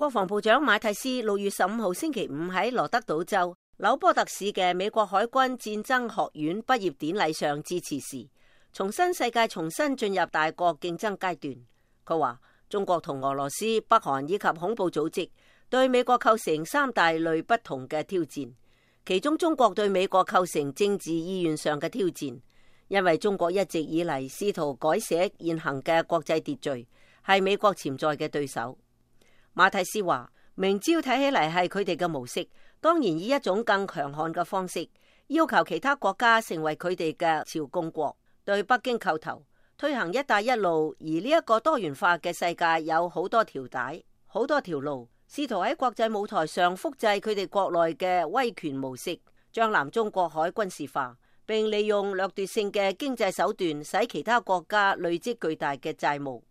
國防部長馬蒂斯6月15號星期五喺羅德島州紐波特市嘅美國海軍戰爭學院畢業典禮上致辭時，重申世界重新進入大國競爭階段。佢話中國同俄羅斯、北韓以及恐怖組織對美國構成3大類不同嘅挑戰，其中中國對美國構成政治意願上嘅挑戰，因為中國一直以嚟試圖改寫現行嘅國際秩序，係美國潛在嘅對手。馬蒂斯話，明朝睇起嚟係佢哋嘅模式，當然以一種更強悍嘅方式，要求其他國家成為佢哋嘅朝貢國，對北京叩頭，推行一帶一路。而呢一個多元化嘅世界有好多條帶、好多條路，試圖喺國際舞台上複製佢哋國內嘅威權模式，將南中國海軍事化，並利用掠奪性嘅經濟手段使其他國家累積巨大嘅債務。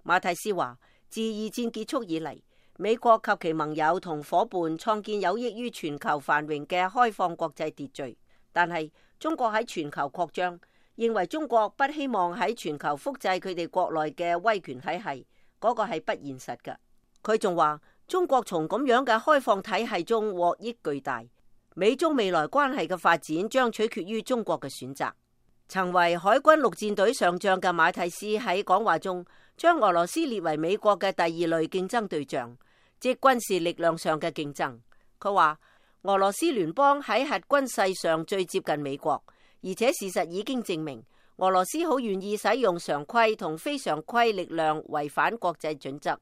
馬蒂斯話，自二戰結束以嚟，美國及其盟友同夥伴創建有益於全球繁榮嘅開放國際秩序，但係中國喺全球擴張，認為中國不希望喺全球複製佢哋國內嘅威權體系，嗰個係不現實嘅。佢仲話，中國從咁樣嘅開放體系中獲益巨大，美中未來關係嘅發展將取決於中國嘅選擇。曾為海軍陸戰隊上將嘅馬蒂斯喺講話中，將俄羅斯列為美國嘅第二類競爭對象，即軍事力量上嘅競爭。佢話俄羅斯聯邦喺核軍勢上最接近美國，而且事實已經證明俄羅斯好願意使用常規同非常規力量違反國際準則。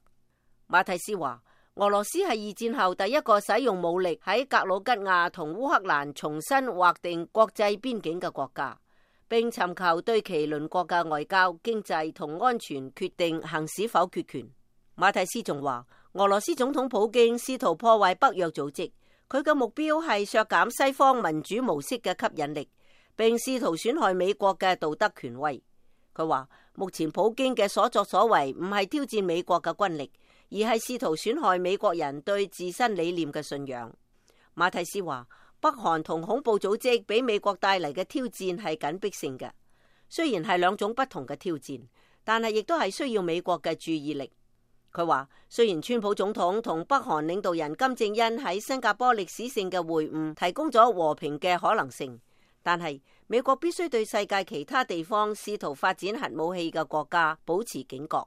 馬蒂斯話，俄羅斯係二戰後第一個使用武力喺格魯吉亞同烏克蘭重新劃定國際邊境嘅國家，並尋求對其鄰國嘅外交、經濟同安全決定行使否決權。馬蒂斯仲話，俄羅斯總統普京試圖破壞北約組織，佢嘅目標係削減西方民主模式嘅吸引力，並試圖損害美國嘅道德權威。佢話，目前普京嘅所作所為唔係挑戰美國嘅軍力，而係試圖損害美國人對自身理念嘅信仰。馬蒂斯話，北韓同恐怖組織俾美國帶嚟嘅挑戰係緊迫性嘅，雖然係兩種不同嘅挑戰，但係亦都係需要美國嘅注意力。佢話，雖然川普總統同北韓領導人金正恩喺新加坡歷史性嘅會晤提供咗和平嘅可能性，但係美國必須對世界其他地方試圖發展核武器嘅國家保持警覺。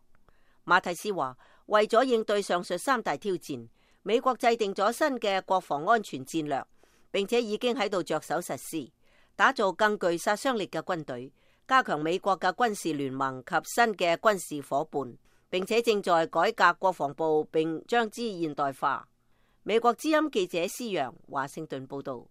馬蒂斯話，為咗應對上述3大挑戰，美國制定咗新嘅國防安全戰略，並且已經喺度着手實施，打造更具殺傷力嘅軍隊，加強美國嘅軍事聯盟及新嘅軍事夥伴，並且正在改革國防部並將之現代化。美國之音記者施洋華盛頓報道。